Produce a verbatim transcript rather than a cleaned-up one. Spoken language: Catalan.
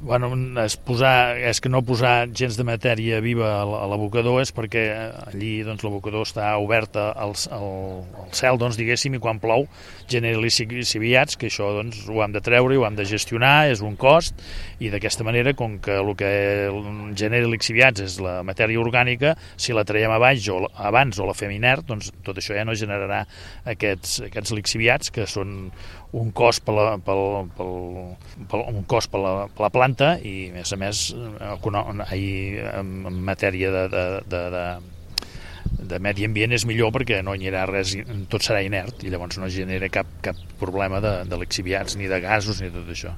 Bueno, és, posar, és que no posar gens de matèria viva a l'abocador és perquè allí doncs, l'abocador està oberta al, al, al cel, doncs, diguéssim, i quan plou genera lixiviats, que això doncs, ho hem de treure i ho hem de gestionar, és un cost, i d'aquesta manera, com que el que genera lixiviats és la matèria orgànica, si la traiem abans o, abans o la fem inert, doncs tot això ja no generarà aquests, aquests lixiviats, que són un cost per la, pel, pel, pel, un cost per la, per la planta i, a més a més, en matèria de, de, de, de, de medi ambient és millor perquè no hi haurà res, tot serà inert i llavors no genera cap, cap problema de, de lixiviats ni de gasos ni tot això.